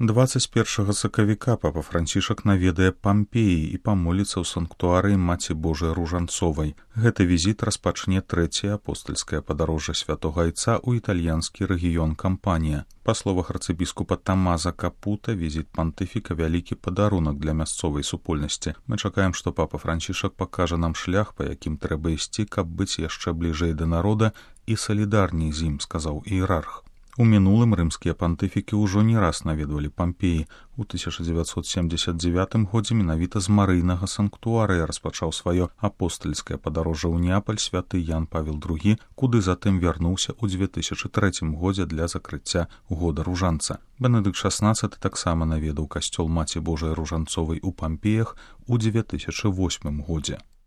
21 сакавіка папа Францішак наведае Пампеі і памоліцца ў санктуарыі Маці Божай Ружанцовай. Гэты візіт распачне трэцяе апостальскае падарожжа святога Айца ў італьянскі рэгіён Кампанія. Па словах арцыбіскупа Тамаза Капута, візіт пантыфіка вялікі падарунак для мясцовай супольнасці. Мы чакаем, што папа Францішак пакажа нам шлях, па якім трэба ісці, каб быць яшчэ бліжэй да народа і салідарней з ім, сказаў іерарх. У мінулым рымскія пантыфікі ўжо не раз наведвалі Пампеі. У 1979 годзе менавіта з Марыйнага санктуарыя распачаў сваё апостальскае падарожжа ў Неапаль святы Ян Павел II, куды затым вярнуўся ў 2003 годзе для закрыцця года ружанца. Бенедыкт XVI таксама наведаў касцёл Маці Божай Ружанцовай у Пампеях у 2008 годзе.